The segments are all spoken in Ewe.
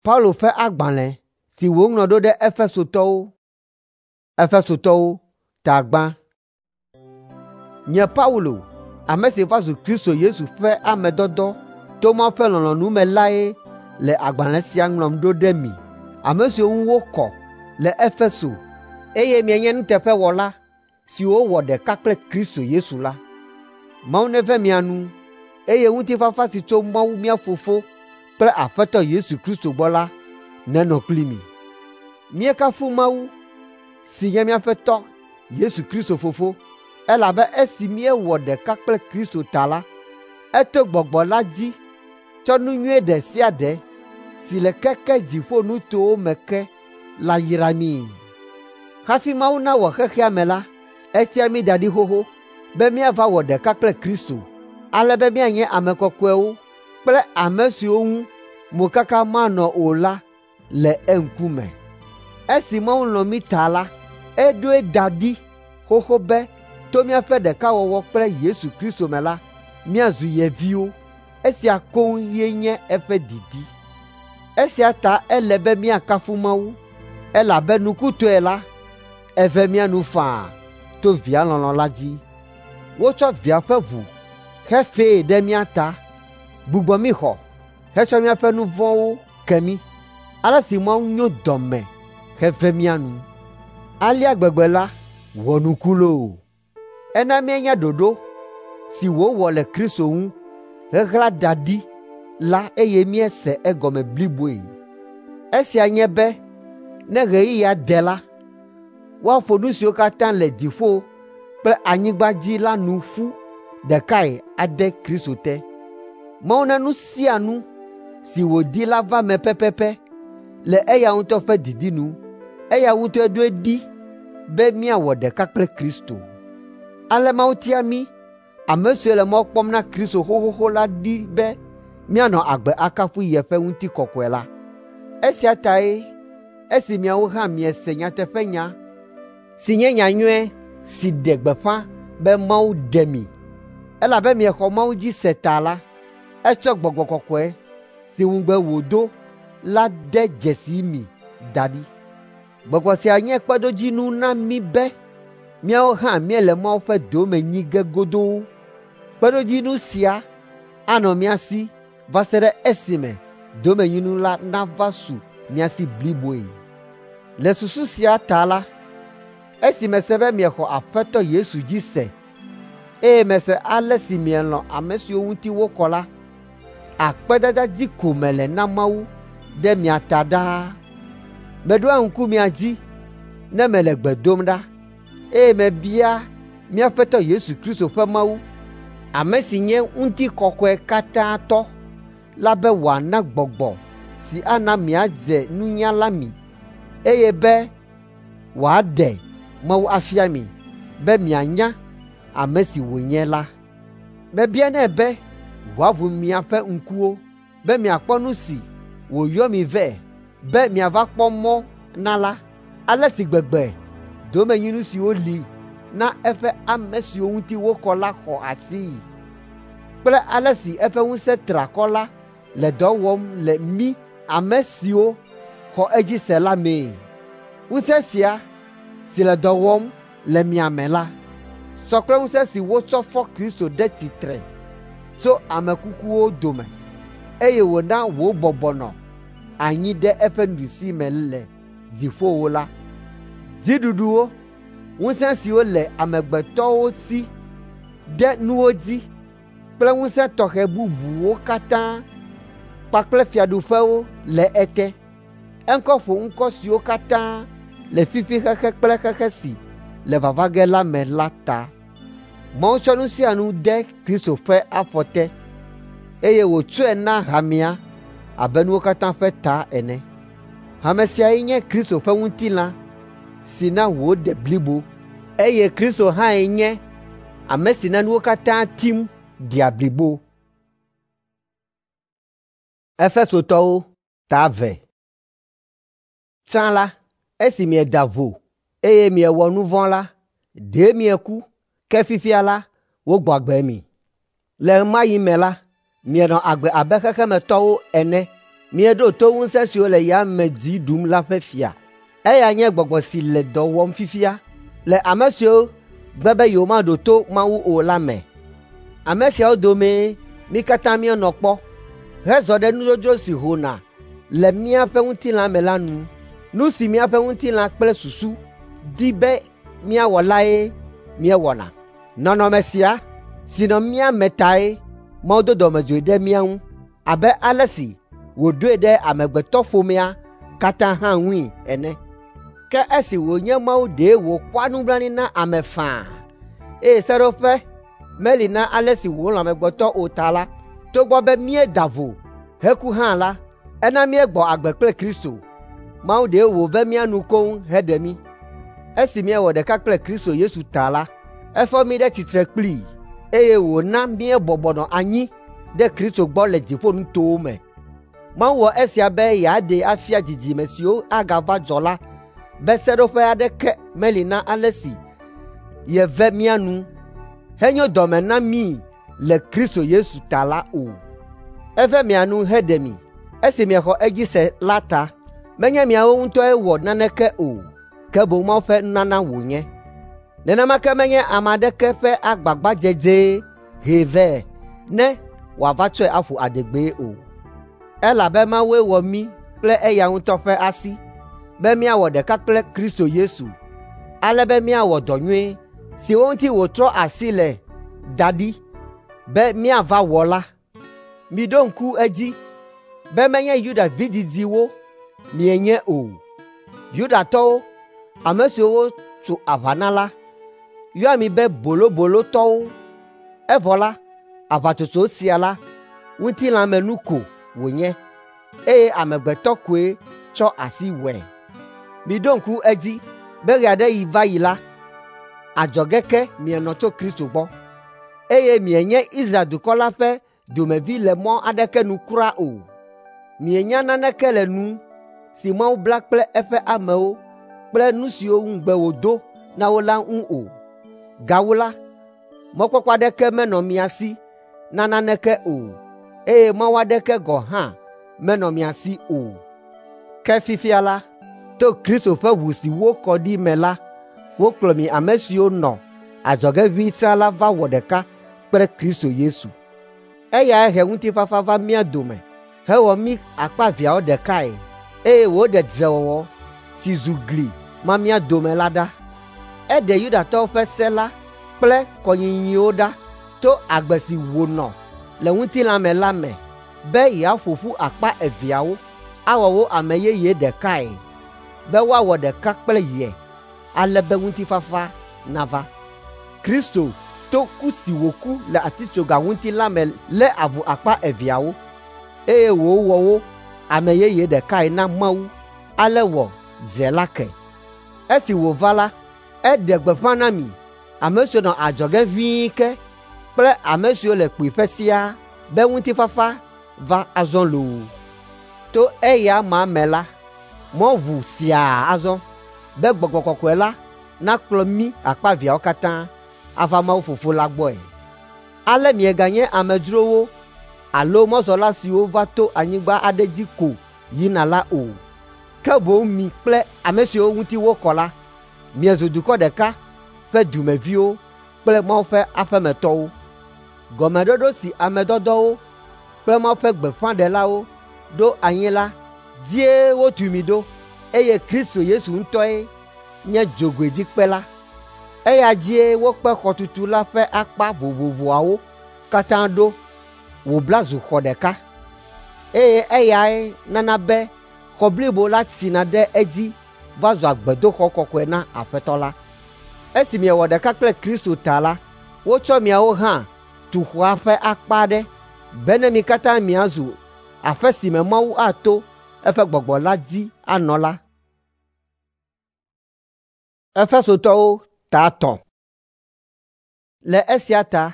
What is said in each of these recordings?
Paulo ƒe agbalẽ si wòŋlɔ ɖo ɖe Efesotɔwo. Efesotɔwo ta gbã. Nye Paulo, ame si va zu Kristo Yesu ƒe ame dɔdɔ to Mawu ƒe lɔlɔ̃nu me lae le agbalẽ sia ŋlɔm ɖo ɖe mi, ame siwo ŋu wokɔ le Efeso, eye mienye nuteƒewɔla siwo wɔ ɖeka kple Kristo Yesu la. Mawu neve mia nu, eye ŋutifafa si tso Mawu mía Fofo kple Aƒetɔ Yesu Kristo gbɔ la nenɔ kpli mi. Míekafu Mawu si nye míaƒe Tɔ Yesu Kristo Fofo, elabe esi míewɔ ɖeka kple Kristo ta la, eto Gbɔgbɔ la dzi tsɔ nu nyui ɖe sia ɖe si le keke dziƒonutowo me ke la yra míi. Hafi Mawu nawɔ xexea me la, etia mí da ɖi xoxo be míava wɔ ɖeka kple Kristo, ale be míanye ame kɔkɔewo kple ame siwo ŋu mokaka manɔ o la le eŋkume. Esi Mawu lɔ̃ mí ta la, eɖoe da ɖi xoxo be to míaƒe ɖekawɔwɔ kple Yesu Kristo me la, míazu ye viwo. Esia koŋ ye nye eƒe didi. Esia ta ele be míakafu Mawu, elabe nukutɔe la, eve mía nu faa to Via lɔlɔ̃ la dzi. Wotsɔ Via ƒe ʋu xe fee ɖe mía ta, gbugbɔ mí xɔ hetsɔ míaƒe nu vɔ̃wo ke mí. Ale si Mawu nyo dɔme heve mía nu. Alea gbegbe la wɔ nuku loo! Ena míenya ɖoɖo si wòwɔ le Kristo ŋu heɣla da ɖi la eye míese egɔme bliboe. Esia nye be ne ɣeyiɣia de la, woaƒo nu siwo katã le dziƒo kple anyigba dzi la nu ƒu ɖekae ade Kristo te. Mawu na nu sia nu si wòdi la va eme pɛpɛpɛ le eya ŋutɔ ƒe didi nu. Eya ŋutɔe ɖoe ɖi be míawɔ ɖeka kple Kristo. Ale Mawu tia mí, ame siwo le mɔ kpɔm na Kristo xoxoxo la ɖi be míanɔ agbe akafu yeƒe ŋutikɔkɔe la. Esia tae esi miawo hã miese nyateƒenya si nye nyanyui si ɖe gbeƒã be Mawu ɖe mi, elabe miexɔ Mawu dzi se ta la, etsɔ Gbɔgbɔ Kɔkɔe si ŋugbe wòdo la de dzesi mi da ɖi. Gbɔgbɔ sia nye kpeɖodzinu na mí be míawo hã míele Mawu ƒe dome nyi ge godoo. Kpeɖodzinu sia anɔ mía si va se ɖe esime domenyinu la nava su mía si bliboe. Le susu sia ta la, esi mese be miexɔ Aƒetɔ Yesu dzi se, eye mese ale si mielɔ̃ ame siwo ŋuti wokɔ la, akpedada dzi ko mele na Mawu ɖe mia ta ɖaa. Meɖoa ŋku mia dzi ne mele gbe dom ɖa, eye mebia mía Aƒetɔ Yesu Kristo ƒe Mawu, ame si nye ŋutikɔkɔe katã tɔ la be wòana gbɔgbɔ si ana miadze nunya la mi, eye be wòaɖe Mawu afia mi be mianya ame si wònye la. Mebianɛ be wòaʋu miaƒe ŋkuwo be miakpɔ nu si wòyɔ mi vɛ be miava kpɔ mɔ na la, ale si gbegbe domenyinu siwo li na eƒe ame siwo ŋuti wokɔ la xɔ asii kple ale si eƒe ŋusẽ triakɔ la le dɔ wɔm le mí ame siwo xɔ edzi se la mee. Ŋusẽ sia si le dɔ wɔm le mia me la sɔ kple ŋusẽ si wotsɔ fɔ Kristo ɖe tsitre tso ame kukuwo dome, eye wòna wòbɔbɔ nɔ anyi ɖe eƒe nuɖusime le dziƒowo la. Dziɖuɖuwo, ŋusẽ siwo le amegbetɔwo si ɖe nuwo dzi kple ŋusẽ tɔxɛ bubuwo katã kpakple fiaɖuƒewo le ete. Eŋkɔ ƒo ŋkɔ siwo katã le fifi xexe kple xexe si le vava ge la me la ta. Mawu tsɔ nu sia nu de Kristo ƒe afɔ te, eye wòtsɔe na hamea abe nuwo katã ƒe ta ene. Hame siae nye Kristo ƒe ŋutilã si na wòde blibo, eye Kristo hãe nye ame si na nuwo katã tim dea blibo. Efesotɔwo ta eve. Tsã la, esi mieda vo, eye miewɔ nu vɔ̃ la, ɖe mieku, ke fifia la, wogbɔ agbe mi. Le ɣe ma ɣi me la, mienɔ agbe abe xexemetɔwo ene Mieɖo to ŋusẽ siwo le yame dzi ɖum la ƒe fia. Eya nye gbɔgbɔ si le dɔ wɔm fifia le ame siwo gbe be yewomaɖo to Mawu o la me. Ame siawo domee mí katã míenɔ kpɔ hezɔ ɖe nudzodzro si hona le míaƒe ŋutilã me la nu. Nu si míaƒe ŋutilã kple susu di be míawɔ lae míewɔna. Nɔnɔme sia si nɔ mía me tae Mawu do dɔmedzoe ɖe mía ŋu abe ale si wòɖoe ɖe amegbetɔƒomea katã hã ŋui ene. Ke esi wònye Mawu ɖe wòkpɔa nublanui na ame faa, eye seɖoƒe meli na ale si wòlɔ̃ amegbetɔ o ta la, togbɔ be míeda vo heku hã la, ena míegbɔ agbe kple Kristo. Mawu ɖe wòve mía nu koŋ heɖe mí. Esi míewɔ ɖeka kple Kristo Yesu ta la, efɔ mí ɖe tsitre kplii, eye wòna míebɔbɔ nɔ anyi ɖe Kristo gbɔ le dziƒonutowo me. Mawu wɔ esia be yeaɖee afia dzidzime siwo agava dzɔ la be seɖoƒe aɖeke meli na ale si yeve mía nu henyo dɔme na mí le Kristo Yesu ta la o. Eve mia nu heɖe mi esi miexɔ edzi se la ta. Menye miawo ŋutɔe wɔ naneke o, ke boŋ Mawu ƒe nunana wònye. Nenema ke menye ame aɖeke ƒe agbagbadzedzee hee vɛ ne wòava tsɔe aƒo adegbee o. Elabe Mawue wɔ mí kple eya ŋutɔ ƒe asi be míawɔ ɖeka kple Kristo Yesu, ale be míawɔ dɔ nyui siwo ŋuti wòtrɔ asi le da ɖi be míava wɔ la. Miɖo ŋku edzi be menye Yuda vidzidziwo mienye o. Yudatɔwo, ame siwo wotso aʋa na la, yɔa mi be bolobolotɔwo. Evɔ la, aʋatsotso sia la, ŋutilãmenu ko wònye, eye amegbetɔ koe tsɔ asi wɔe. Miɖo ŋku edzi be ɣe aɖe ɣi va yi la, adzɔge ke mienɔ tso Kristo gbɔ, eye mienye Israel dukɔ la ƒe dumevi le mɔ aɖeke nu kura o. Mienya naneke le nu si Mawu bla kple eƒe amewo kple nu siwo ŋugbe wòdo na wo la ŋu o. Gawu la, mɔkpɔkpɔ aɖeke menɔ mia si na naneke o, eye Mawu aɖeke gɔ̃ hã menɔ mia si o. Ke fifia la, to Kristo ƒe ʋu si wokɔ ɖi me la, wokplɔ mi ame siwo nɔ adzɔge ʋĩi sã la va wɔ ɖeka kple Kristo Yesu. Eyae he ŋutifafa va mía dome hewɔ mí akpa eveawo ɖekae, eye wòɖe dzrewɔwɔ si zu gli ma mía dome la ɖa. Eɖe Yudatɔwo ƒe se la kple kɔnyinyiwo ɖa to agbe si wònɔ le ŋutilã me la me be yeaƒo ƒu akpa eveawo awɔ wo ame yeye ɖekae, be woawɔ ɖeka kple ye, ale be ŋutifafa nava. Kristo to ku si wòku le atitsoga ŋuti la me lé avu akpa eveawo, eye wòwɔ wo ame yeye ɖekae na Mawu, ale wɔ dzre la ke. Esi wòva la, eɖe gbeƒã na mi, ame siwo nɔ adzɔge ʋĩi ke kple ame siwo le kpuiƒe siaa be ŋutifafa va azɔ loo. To eya ma me la, mɔ ʋu siaa azɔ be Gbɔgbɔ Kɔkɔe la nakplɔ mí akpa eveawo katã ava Mawu Fofo la gbɔe. Ale mieganye amedzrowo alo mɔzɔla siwo va to anyigba aɖe dzi ko yina la o, ke boŋ mi kple ame siwo ŋuti wokɔ la, miezu dukɔ ɖeka ƒe dumeviwo kple Mawu ƒe aƒemetɔwo. Gɔmeɖoɖo si ame dɔdɔwo kple Mawu ƒe gbeƒãɖelawo ɖo anyi la dzie wotu mi ɖo, eye Kristo Yesu ŋutɔe nye dzogoedzikpe la. Eya dzie wokpe xɔtutu la ƒe akpa vovovoawo katã ɖo wòbla zu xɔ ɖeka, eye eyae nana be xɔ blibo la tsina ɖe edzi va zua gbedoxɔ kɔkɔe na Aƒetɔ la. Esi miewɔ ɖeka kple Kristo ta la, wotsɔ miawo hã tu xɔa ƒe akpa aɖe bene mi katã miazu aƒe si me Mawu ato eƒe Gbɔgbɔ la dzi anɔ la. Efesotɔwo ta 3. Le esia ta,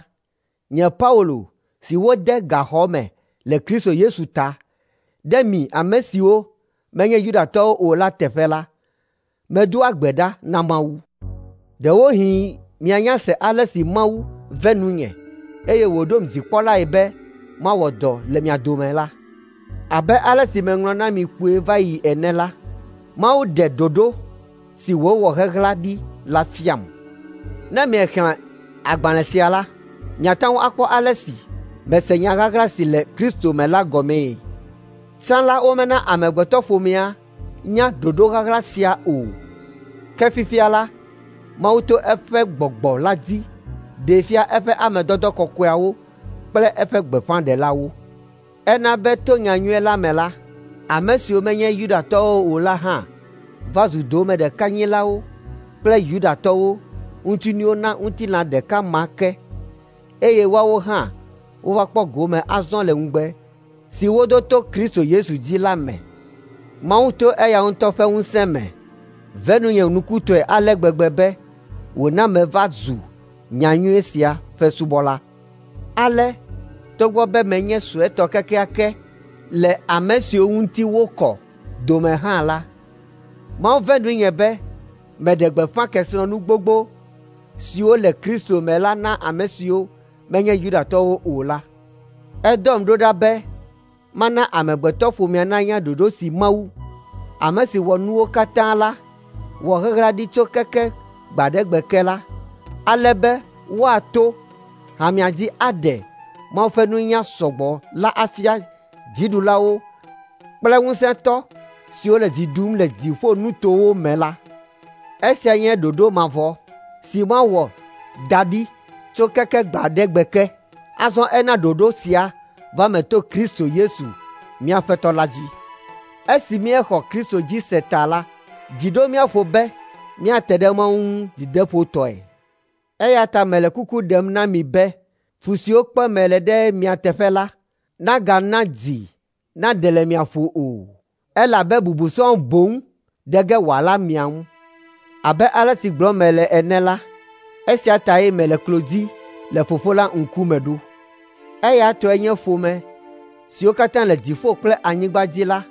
nye Paulo si wode gaxɔ me le Kristo Yesu ta, ɖe mi ame siwo menye Yudatɔwo o la teƒe la, medoa gbe ɖa na Mawu. Ɖewohĩ mianya se ale si Mawu ve nunye, eye wòɖom dzikpɔlae be mawɔ dɔ le mia dome la. Abe ale si meŋlɔ na mi kpuie va yi ene la, Mawu ɖe ɖoɖo si wòwɔ heɣla ɖi la fiam. Ne miexlẽ agbalẽ sia la, miate ŋu akpɔ ale si mese nya ɣaɣla si le Kristo me la gɔmee. Tsã la womena amegbetɔƒomea nya ɖoɖo ɣaɣla sia o, ke fifia la, Mawu to eƒe Gbɔgbɔ la dzi ɖee fia eƒe ame dɔdɔ kɔkɔeawo kple eƒe gbeƒãɖelawo. Ena be to nyanyui la me la, ame siwo menye Yudatɔwo o la hã va zu domeɖekanyilawo kple Yudatɔwo ŋutinuwo na ŋutilã ɖeka ma ke, eye woawo hã wova kpɔ gome azɔ le ŋugbe si wodo to Kristo Yesu dzi la me. Mawu to eya ŋutɔ ƒe ŋusẽ me ve nunye nukutɔe ale gbegbe be wòna meva zu nyanyui sia ƒe subɔla. Ale togbɔ be menye suetɔ kekeake le ame siwo ŋuti wokɔ dome hã la, Mawu ve nunye be meɖe gbeƒã kesinɔnu gbogbo siwo le Kristo me la na ame siwo menye Yudatɔwo o la. Edɔm ɖo ɖa be mana amegbetɔƒomea nanya ɖoɖo si Mawu, ame si wɔ nuwo katã la, wɔ heɣla ɖi tso keke gbe aɖe gbe ke la, ale be woato hamea dzi aɖe Mawu ƒe nunya sɔgbɔ la afia dziɖulawo kple ŋusẽtɔ siwo le dzi ɖum le dziƒonutowo me la. Esia nye ɖoɖo mavɔ si Mawu wɔ da ɖi tso keke gbe aɖe gbe ke. Azɔ ena ɖoɖo sia va me to Kristo Yesu, mía Aƒetɔ la dzi. Esi míexɔ Kristo dzi se ta la, dzi ɖo mía ƒo be míate ɖe Mawu ŋu dzideƒotɔe. Eya ta mele kuku ɖem na mi be fu siwo kpem mele ɖe mia teƒe la nagana dzi naɖe le mia ƒo o, elabe bubu sɔŋ boŋ de ge wòala mia ŋu. Abe ale si gblɔm mele ene la, esia tae mele klo dzi le Fofo la ŋkume ɖo. Eya tɔe nye ƒome siwo katã le dziƒo kple anyigba dzi la,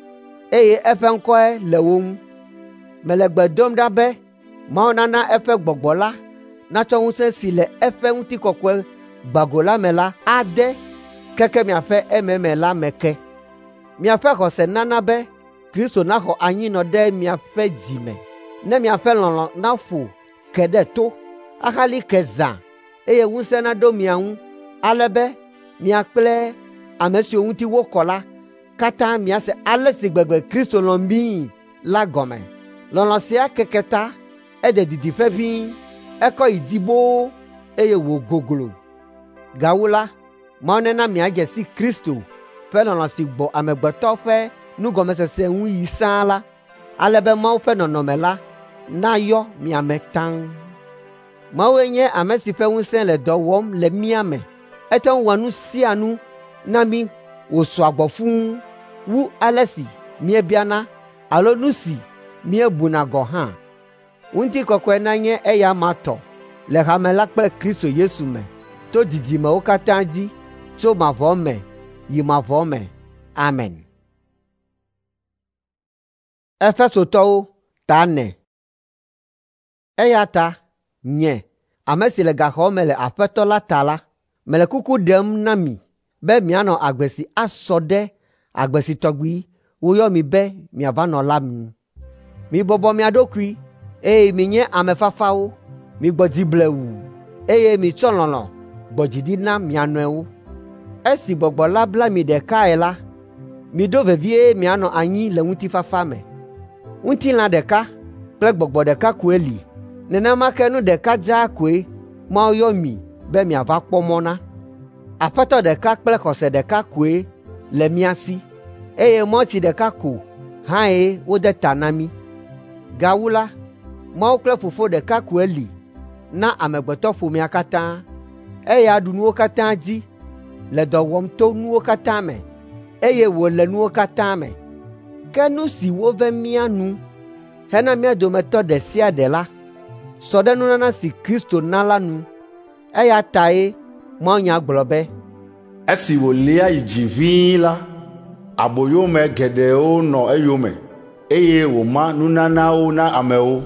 eye eƒe ŋkɔe le wo ŋu. Mele gbe dom ɖa be Mawu nana eƒe Gbɔgbɔ la natsɔ ŋusẽ si le eƒe ŋutikɔkɔe gbago la me la ade keke miaƒe ememe la me ke. Miaƒe xɔse nana be Kristo naxɔ anyinɔ ɖe miaƒe dzi me, ne miaƒe lɔlɔ̃ naƒo ke ɖe to ahali ke zã eye ŋusẽ naɖo mia ŋu ale be mia kple ame siwo ŋuti wokɔ la katã miase ale si gbegbe Kristo lɔ̃ míi la gɔme. Lɔlɔ̃ sia keke ta, ede didiƒe ʋĩi, ekɔ yi dzi boo eye wògoglo. Gawu la, Mawu nena miadze si Kristo ƒe lɔlɔ̃ si gbɔ amegbetɔ ƒe nugɔmesese ŋu yi sãa la, ale be Mawu ƒe nɔnɔme la nayɔ mia me taŋ. Mawue nye ame si ƒe ŋusẽ le dɔ wɔm le mía me. Ete ŋu wɔa nu sia nu na mí wòsɔa gbɔ fũu wu ale si míebiana alo nu si míebuna gɔ̃ hã. Ŋutikɔkɔe nanye eya amea tɔ le hame la kple Kristo Yesu me to dzidzimewo katã dzi tso mavɔ me yi mavɔ me. Amen. Efesotɔwo ta ene. Eya ta nye, ame si le gaxɔ me le Aƒetɔ la ta la, mele kuku ɖem na mi be mianɔ agbe si asɔ ɖe agbe si tɔgbi woyɔ mi be miava nɔ la nu. Mibɔbɔ mia ɖokui eye minye ame fafawo, migbɔ dzi blewu eye mitsɔ lɔlɔ̃ gbɔ dzi ɖi na mia nɔewo. Esi Gbɔgbɔ la bla mi ɖekae la, miɖo vevie mianɔ anyi le ŋutifafa me. Ŋutilã ɖeka kple gbɔgbɔ ɖeka koe li, nenema ke nu ɖeka dzaa koe Mawu yɔ mi be miava kpɔ mɔ na. Aƒetɔ ɖeka kple xɔse ɖeka koe le mía si, eye mawutsi ɖeka ko hãe wode ta na mí. Gawu la, Mawu kple Fofo ɖeka koe li na amegbetɔƒomea katã. Eya ɖu nuwo katã dzi, le dɔ wɔm to nuwo katã me, eye wòle nuwo katã me. Ke nu si wove mía nu hena mía dometɔ ɖe sia ɖe la, sɔ ɖe nunana si Kristo na la nu. Eya tae mawunya gblɔ be, Esi wòlia yi dzi ʋĩi la, aboyome geɖewo nɔ eyome, eye wòma nunanawo na amewo.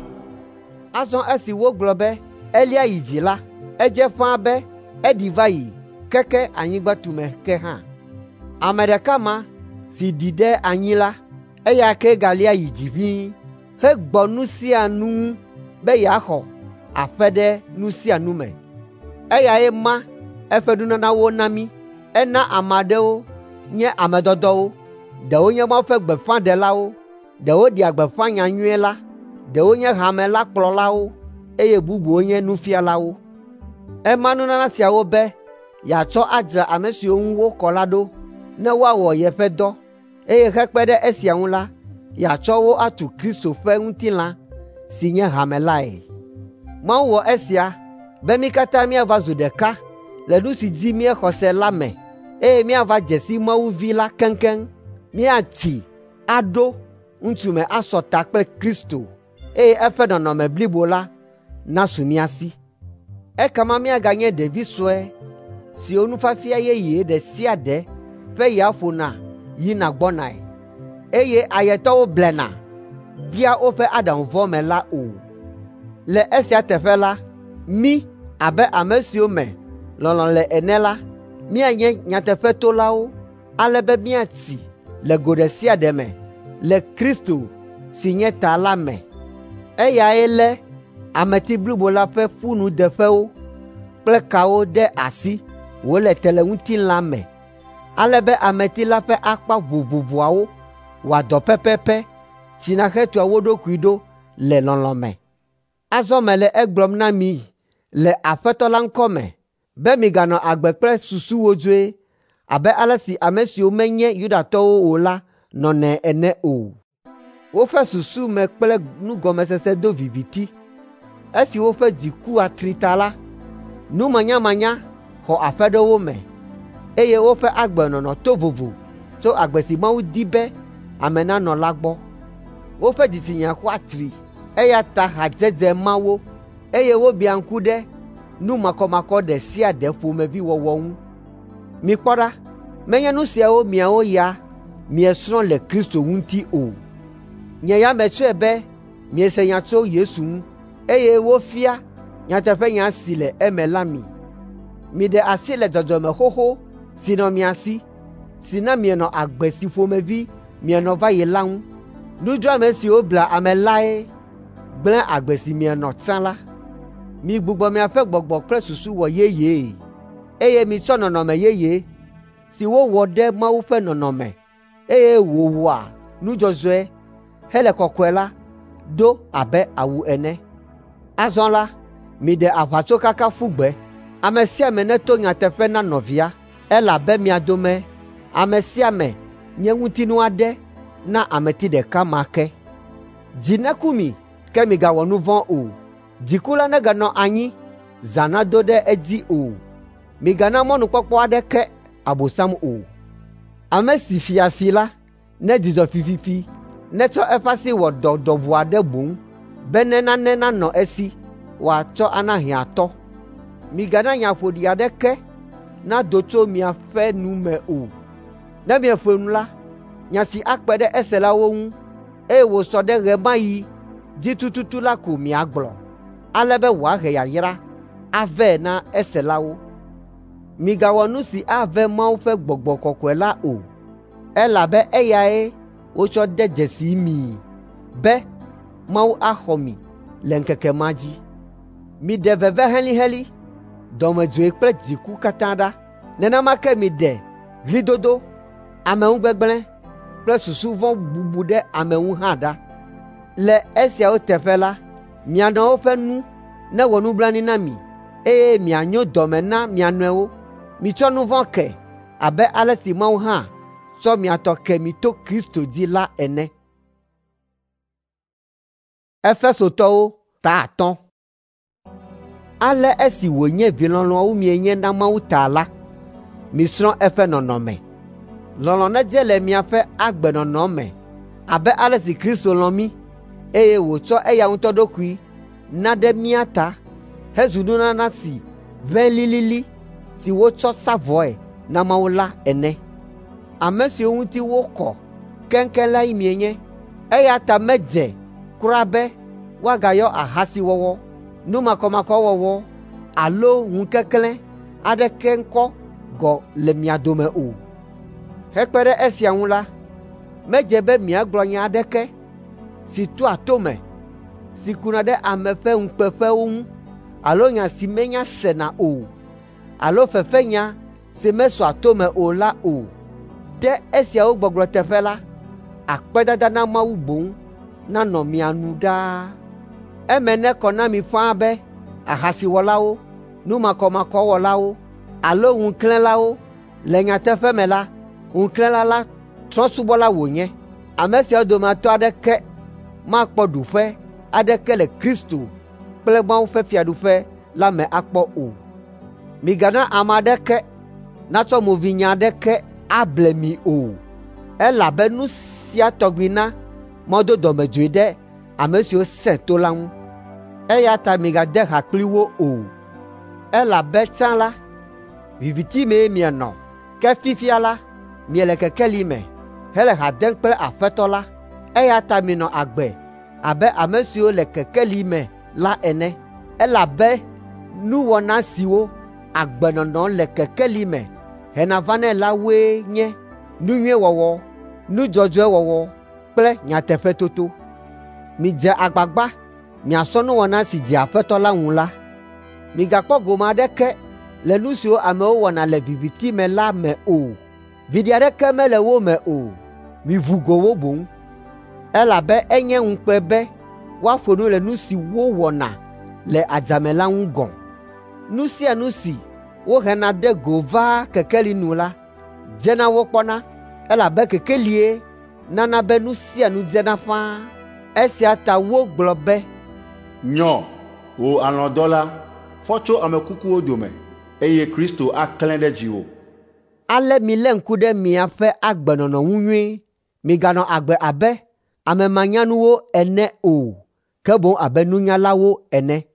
Azɔ esi wogblɔ be elia yi dzi la, edze ƒãa be eɖi va yi keke anyigba tume ke hã. Ame ɖeka ma si ɖi ɖe anyi la, eya ke galia yi dzi ʋĩi hegbɔ nu sia nu ŋu be yeaxɔ aƒe ɖe nu sia nu me. Eyae ma eƒe nunanawo na mí. Ena ame aɖewo nye ame dɔdɔwo, ɖewo nye Mawu ƒe gbeƒãɖelawo, ɖewo ɖea gbeƒã nyanyui la, ɖewo nye hame la kplɔlawo eye bubuwo nye nufialawo. Ema nunana siawo be yeatsɔ adzra ame siwo ŋu wokɔ la ɖo ne woawɔ yeƒe dɔ, eye hekpe ɖe esia ŋu la, yeatsɔ wo atu Kristo ƒe ŋutilã si nye hame lae. Mawu wɔ esia be mí katã míava zu ɖeka le nu si dzi míexɔ se la me, eye míava dze si Mawu Vi la keŋkeŋ, míatsi aɖo ŋutsume asɔ ta kple Kristo, eye eƒe nɔnɔme blibo la nasu mía si. Ekema míaganye ɖevi sue siwo nufiafia yeye ɖe sia ɖe ƒe ya ƒona yina gbɔnae, eye ayetɔwo blena dea woƒe aɖaŋu vɔ̃ me la o. Le esia teƒe la, mí abe ame siwo me lɔlɔ̃ le ene la, míanye nyateƒetolawo ale be míatsi le go ɖe sia ɖe me le Kristo si nye ta la me. Eyae lé ameti blibo la ƒe ƒunudeƒewo kple kawo ɖe asi wòle te le ŋutilã me, ale be ameti la ƒe akpa vovovoawo wɔa dɔ pɛpɛpɛ tsina hetua wo ɖokui ɖo le lɔlɔ̃ me. Azɔ mele egblɔm na mi le Aƒetɔ la ŋkɔ me be miganɔ agbe kple susu wodzoe abe ale si ame siwo menye Yudatɔwo o la nɔnɛ ene o. Woƒe susu me kple nugɔmesese do viviti. Esi woƒe dzi ku atri ta la, numanyamanya xɔ aƒe ɖe wo me, eye woƒe agbenɔnɔ to vovo tso agbe si Mawu di be ame nanɔ la gbɔ. Woƒe dzitsinya ku atri, eya ta hadzedze ma wo, eye wobiã ŋku ɖe nu makɔmakɔ ɖe sia ɖe ƒomevi wɔwɔ ŋu. Mikpɔ ɖa, menye nu siawo miawo ya miesrɔ̃ le Kristo ŋuti o. Nye ya metsɔe be miese nya tso Yesu ŋu, eye wofia nyateƒenya si le eme la mi. Miɖe asi le dzɔdzɔme xoxo si nɔ mia si, si na mienɔ agbe si ƒomevi mienɔ va yi la ŋu. Nudzroame siwo blea ame lae gblẽ agbe si mienɔ tsã la. Migbugbɔ miaƒe gbɔgbɔ kple susu wɔ yeyee, eye mitsɔ nɔnɔme yeye si wowɔ ɖe Mawu ƒe nɔnɔme, eye wòwɔa nu dzɔdzɔe hele kɔkɔe la do abe awu ene. Azɔ la, miɖe aʋatsokaka ƒu gbe. Ame sia ame neto nyateƒe na nɔvia, elabe mia dome ame sia ame nye ŋutinu aɖe na ameti ɖeka ma ke. Dzi neku mi, ke migawɔ nu vɔ̃ o. Dziku la neganɔ anyi, zã nado ɖe edzi o. Migana mɔnukpɔkpɔ aɖeke Abosam o. Ame si fia fi la nedzudzɔ fififi, netsɔ eƒe asi wɔ dɔ ɖɔʋu aɖe boŋ bene nane nanɔ esi wòatsɔ ana hiãtɔ. Migana nya ƒoɖi aɖeke nado tso miaƒe nu me o. Ne mieƒo nu la, nya si akpe ɖe eselawo ŋu, eye wòsɔ ɖe ɣe ma ɣi dzi tututu la ko miagblɔ, ale be wòahe yayra avɛ na eselawo. Migawɔ nu si ave Mawu ƒe Gbɔgbɔ Kɔkɔe la o, elabe eyae wotsɔ de dzesi mii be Mawu axɔ mi le ŋkeke ma dzi. Miɖe veve helĩhelĩ, dɔmedzoe kple dziku katã ɖa. Nenema ke miɖe ɣlidodo, ameŋugbegblẽ kple susu vɔ̃ bubu ɖe ame ŋu hã ɖa. Le esiawo teƒe la, mia nɔewo ƒe nu newɔ nublanui na mi, eye mianyo dɔme na mia nɔewo. Mitsɔ nu vɔ̃ ke abe ale si Mawu hã tsɔ mia tɔ ke mi to Kristo dzi la ene. Efesotɔwo ta 5. Ale esi wònye vi lɔlɔ̃awo mienye na Mawu ta la, misrɔ̃ eƒe nɔnɔme. Lɔlɔ̃ nedze le miaƒe agbenɔnɔ me abe ale si Kristo lɔ̃ mí, eye wòtsɔ eya ŋutɔ ɖokui na ɖe mía ta hezu nunana si ʋẽ lilili si wotsɔ sa vɔe na Mawu la ene. Ame siwo ŋuti wokɔ keŋkeŋ lae mienye, eya ta medze kura be woagayɔ ahasiwɔwɔ, nu makɔmakɔwɔwɔ alo ŋukeklẽ aɖeke ŋkɔ gɔ̃ le mia dome o. Hekpe ɖe esia ŋu la, Medze be miagblɔ nya aɖeke si toa to me, si kuna ɖe ame ƒe ŋukpeƒewo ŋu alo nya si menya sena o alo fefenya si mesɔa to me o la o. Ɖe esiawo gbɔgblɔ teƒe la, akpedada na Mawu boŋ nanɔ mia nu ɖaa. Eme nekɔ na mi ƒãa be ahasiwɔlawo, numakɔmakɔwɔlawo alo ŋuklẽlawo le nyateƒe me la, ŋuklẽla la trɔ̃subɔla wònye. Ame siawo dometɔ aɖeke makpɔ ɖuƒe aɖeke le Kristo kple Mawu ƒe fiaɖuƒe la me akpɔ o. Migana ame aɖeke natsɔ movinya aɖeke able mi o, elabe nu sia tɔgbi na Mawu do dɔmedzoe ɖe ame siwo sẽ to la ŋu. Eya ta migade ha kpli wo o, elabe tsã la, viviti mee mienɔ, ke fifia la, miele kekeli me hele ha dem kple Aƒetɔ la. Eya ta minɔ agbe abe ame siwo le kekeli me la ene, elabe nuwɔna siwo agbenɔnɔ le kekeli me hena vanɛ la woe nye nu nyui wɔwɔ, nu dzɔdzɔe wɔwɔ kple nyateƒetoto. Midze agbagba miasrɔ̃ nuwɔna si dzea Aƒetɔ la ŋu la. Migakpɔ gome aɖeke le nu siwo amewo wɔna le viviti me la me o. Viɖe aɖeke mele wo me o. Miʋu go wo boŋ, elabe enye ŋukpe be woaƒo nu le nu si wowɔna le adzame la ŋu gɔ̃. Nu sia nu si wohena ɖe go vaa kekeli nu la, dzena wokpɔna, elabe kekelie nana be nu sia nu dzena ƒãa. Esia ta wogblɔ be, Nyɔ, wò alɔ̃dɔla, fɔ tso ame kukuwo dome, eye Kristo aklẽ ɖe dziwò. Ale milé ŋku ɖe miaƒe agbenɔnɔ ŋu nyuie. Miganɔ agbe abe ame manyanuwo ene o, ke boŋ abe nunyalawo ene.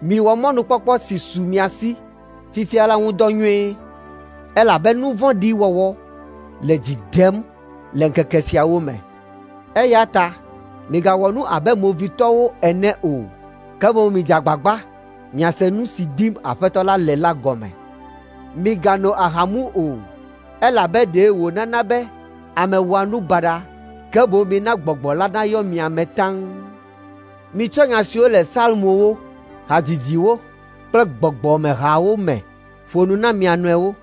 Miwɔ mɔnukpɔkpɔ si su mia si fifia la ŋu dɔ nyuie, elabe nu vɔ̃ɖi wɔwɔ le dzi dem le ŋkeke siawo me. Eya ta migawɔ nu abe movitɔwo ene o, ke boŋ midze agbagba miase nu si dim Aƒetɔ la le la gɔme. Migano aha mu o, elabe ɖe wònana be ame wɔa nu baɖa, ke boŋ mina Gbɔgbɔ la nayɔ mia me taŋ. Mitsɔ nya siwo le Psalmowo, hadzidziwo kple gbɔgbɔmehawo me ƒo nu na mia nɔewo,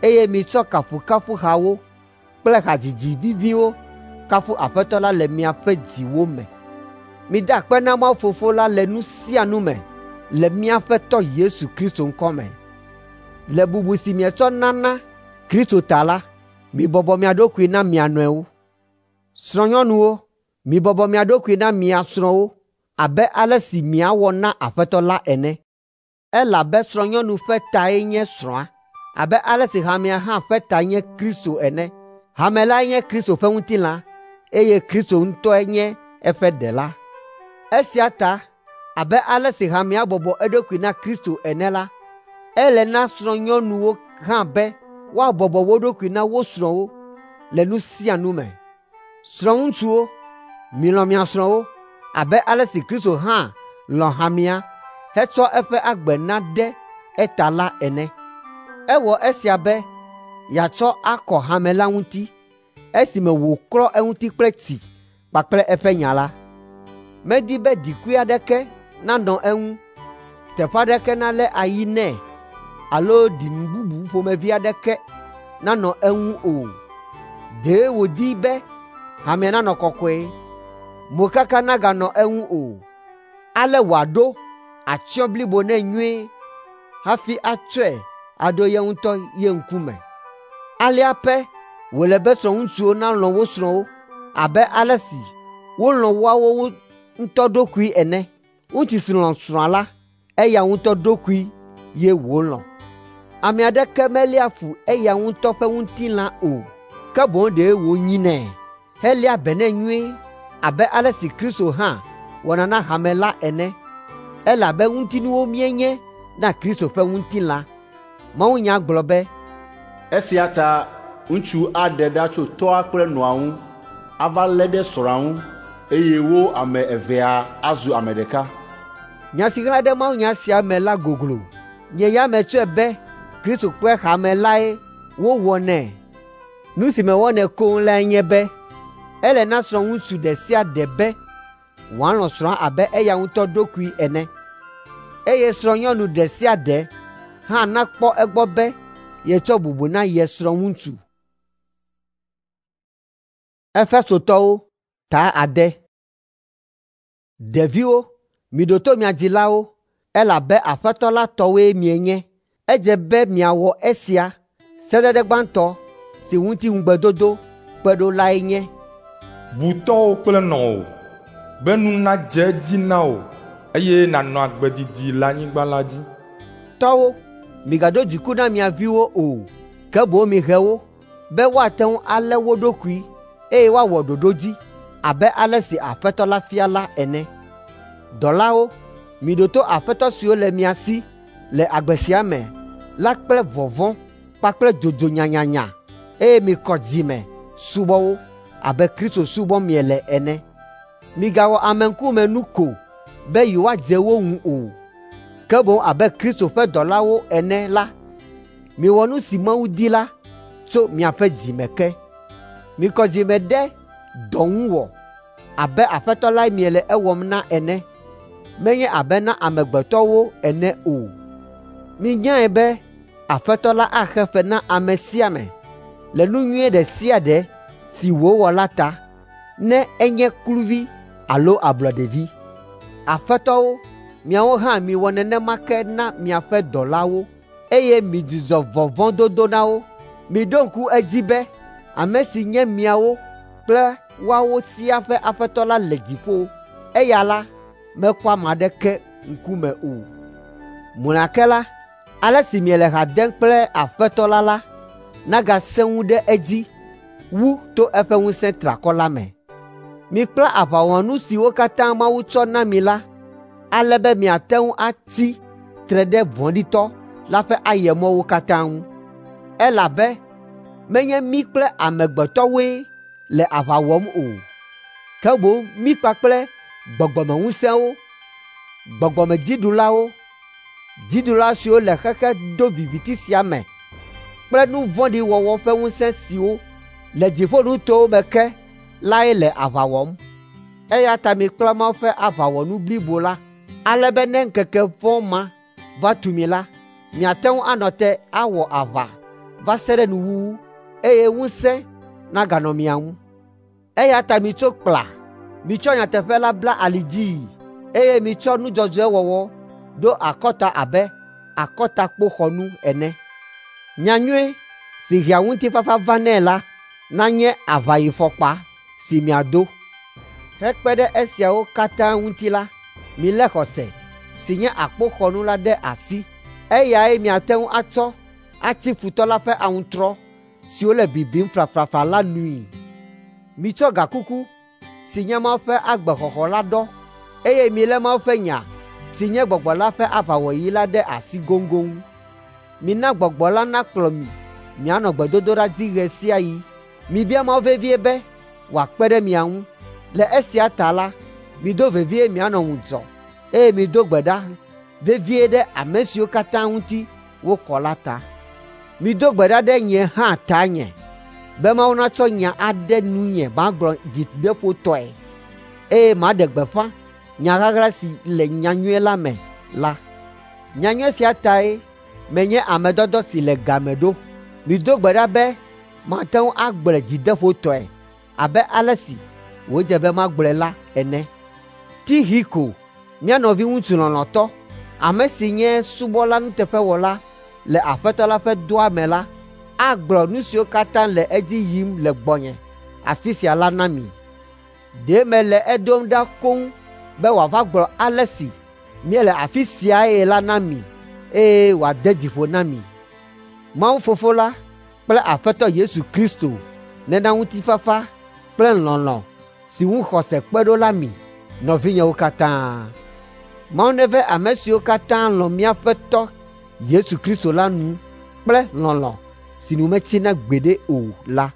eye mitsɔ kafukafuhawo kple hadzidzi viviwo kafu Aƒetɔ la le miaƒe dziwo me. Mida akpe na Mawu Fofo la le nu sia nu me le míaƒe Tɔ Yesu Kristo ŋkɔ me. Le bubu si mietsɔ nana Kristo ta la, mibɔbɔ mia ɖokui na mia nɔewo. Srɔ̃nyɔnuwo, mibɔbɔ mia ɖokui na mia srɔ̃wo abe ale si miawɔ na Aƒetɔ la ene. Elabe srɔ̃nyɔnu ƒe tae nye srɔ̃a, abe ale si hamea hã ƒe ta nye Kristo ene. Hame lae nye Kristo ƒe ŋutilã, eye Kristo ŋutɔe nye eƒe ɖela. Esia ta, abe ale si hamea bɔbɔ eɖokui na Kristo ene la, ele na srɔ̃nyɔnuwo hã be woabɔbɔ wo ɖokui na wo srɔ̃wo le nu sia nu me. Srɔ̃ŋutsuwo, milɔ̃ mia srɔ̃wo abe ale si Kristo hã lɔ̃ hamea hetsɔ eƒe agbe na ɖe eta la ene. Ewɔ esia be yeatsɔ akɔ hame la ŋuti esime wòklɔ eŋuti kple tsi kpakple eƒe nya la. Medi be ɖikui aɖeke nanɔ eŋu, teƒe aɖeke nalé ayi nɛ alo ɖinu bubu ƒomevi aɖeke nanɔ eŋu o. Ɖe wòdi be hamea nanɔ kɔkɔe, mokaka naganɔ eŋu o, ale wòaɖo atsyɔ̃ blibo nɛ nyuie hafi atsɔe aɖo ye ŋutɔ ye ŋkume. Alea pɛ wòle be srɔ̃ŋutsuwo nalɔ̃ wo srɔ̃wo abe ale si wolɔ̃ woawo ŋutɔ ɖokui ene. Ŋutsu si lɔ̃ srɔ̃a la, eya ŋutɔ ɖokui ye wòlɔ̃. Ame aɖeke meléa fu eya ŋutɔ ƒe ŋutilã o, ke boŋ ɖe wònyinɛ heléa be nɛ nyuie abe ale si Kristo hã wɔna na hame la ene, elabe ŋutinuwo míenye na Kristo ƒe ŋutilã. Mawunya gblɔ be, Esia ta ŋutsu aɖe ɖa tso tɔ́a kple nɔa ŋu ava lé ɖe srɔ̃a ŋu eye wo ame evea azu ame ɖeka. Nya si ɣla ɖe mawunya sia me la goglo. Nye ya metsɔe be Kristo kple hame lae wowɔnɛ. Nu si mewɔnɛ koŋ lae nye be, Ele na srɔ̃ŋutsu ɖe sia ɖe be wòalɔ̃ srɔ̃a abe eya ŋutɔ ɖokui ene, eye srɔ̃nyɔnu ɖe sia ɖe hã nakpɔ egbɔ be yetsɔ bubu na ye srɔ̃ŋutsu. Efesotɔwo ta 6. Ɖeviwo, miɖo to mia dzilawo, elabe Aƒetɔ la tɔwoe mienye. Edze be miawɔ esia. Sedede gbãtɔ si ŋuti ŋugbedodo kpe ɖo lae nye: Bu tɔ́wò kple nɔwò, be nu nadze edzi na wò, eye nànɔ agbe didi le anyigba la dzi. Tɔwo, migado dziku na mia viwo o, ke boŋ mihe wo, be woate ŋu alé wo ɖokui, eye woawɔ ɖoɖo dzi abe ale si Aƒetɔ la fia la ene. Dɔlawo, miɖo to aƒetɔ siwo le mia si le agbe sia me la kple vɔvɔ̃ kpakple dzodzo nyanyanya, eye mikɔ dzi me subɔ wo abe Kristo subɔm miele ene. Migawɔ ameŋkumenu ko be yewoadze wo ŋu o, ke boŋ abe Kristo ƒe dɔlawo ene la, miwɔ nu si Mawu di la tso miaƒe dzi me ke. Mikɔ dzi me ɖe dɔ ŋu wɔ abe Aƒetɔ lae miele ewɔm na ene, menye abe na amegbetɔwo ene o. Minyae be Aƒetɔ la axe fe na ame sia ame le nu nyui ɖe sia ɖe si wòwɔ la ta, ne enye kluvi alo ablɔɖevi. Aƒetɔwo, miawo hã miwɔ nenema ke na miaƒe dɔlawo, eye midzudzɔ vɔvɔ̃dodo na wo. Miɖo ŋku edzi be ame si nye miawo kple woawo siaa ƒe Aƒetɔ la le dziƒo. Eya la mekpɔa ame aɖeke ŋkume o. Mlɔeba ke la, ale si miele ha dem kple Aƒetɔ la la nagasẽ ŋu ɖe edzi wu to eƒe ŋusẽ triakɔ la me. Mikpla aʋawɔnu siwo katã Mawu tsɔ na mi la, ale be miate ŋu atsi tre ɖe vɔ̃ɖitɔ la ƒe ayemɔwo katã ŋu. Elabe menye mí kple amegbetɔwoe le aʋa wɔm o, ke boŋ mí kpakple gbɔgbɔmeŋusẽwo, gbɔgbɔmedziɖulawo, dziɖula siwo le xexe doviviti sia me kple nu vɔ̃ɖi wɔwɔ ƒe ŋusẽ siwo le dziƒonutowo me ke lae le aʋa wɔm. Eya ta mikpla Mawu ƒe aʋawɔnu blibo la, ale be ne ŋkeke vɔ̃ ma va tu mi la, miate ŋu anɔ te awɔ aʋa va se ɖe nuwuwu, eye ŋusẽ naganɔ mia ŋu. Eya ta mitso kpla, mitsɔ nyateƒe la bla ali dzii, eye mitsɔ nu dzɔdzɔe wɔwɔ ɖo akɔta abe akɔtakpoxɔnu ene. Nyanyui si hea ŋutifafa vanɛ la nanye aʋayifɔkpa si miado. Hekpe ɖe esiawo katã ŋuti la, milé xɔse si nye akpoxɔnu la ɖe asi. Eyae miate ŋu atsɔ atsi futɔ la ƒe aŋutrɔ siwo le bibim flaflafla la nui. Mitsɔ gakuku si nye Mawu ƒe agbexɔxɔ la ɖɔ, eye milé Mawu ƒe nya si nye Gbɔgbɔ la ƒe aʋawɔyi la ɖe asi goŋgoŋ. Mina Gbɔgbɔ la nakplɔ mi mianɔ gbedodoɖa dzi ɣe sia ɣi. Mibia Mawu vevie be wòakpe ɖe mia ŋu. Le esia ta la, mido vevie mianɔ ŋudzɔ, eye mido gbe ɖa vevie ɖe ame siwo katã ŋuti wokɔ la ta. Mido gbe ɖa ɖe nye hã tanye, be Mawu natsɔ nya aɖe nunye magblɔ dzideƒotɔe, eye maɖe gbeƒã nya ɣaɣla si le nyanyui la me la. Nyanyui sia tae menye ame dɔdɔ si le game ɖo. Mido gbe ɖa be mate ŋu agblɔe dzideƒotɔe abe ale si wòdze be magblɔe la ene. Tixiko, mía nɔviŋutsu lɔlɔ̃tɔ, ame si nye subɔla nuteƒewɔla le Aƒetɔ la ƒe dɔa me la, agblɔ nu siwo katã le edzi yim le gbɔnye afi sia la na mi. Ɖe mele eɖom ɖa koŋ be wòava gblɔ ale si míele afi siae la na mi, eye wòade dzi ƒo na mi. Mawu Fofo la kple Aƒetɔ Yesu Kristo nena ŋutifafa kple lɔlɔ̃ si ŋu xɔse kpe ɖo la mi, nɔvinyewo katã. Mawu neve ame siwo katã lɔ̃ míaƒe Tɔ Yesu Kristo la nu kple lɔlɔ̃ si nu metsina gbeɖe o la.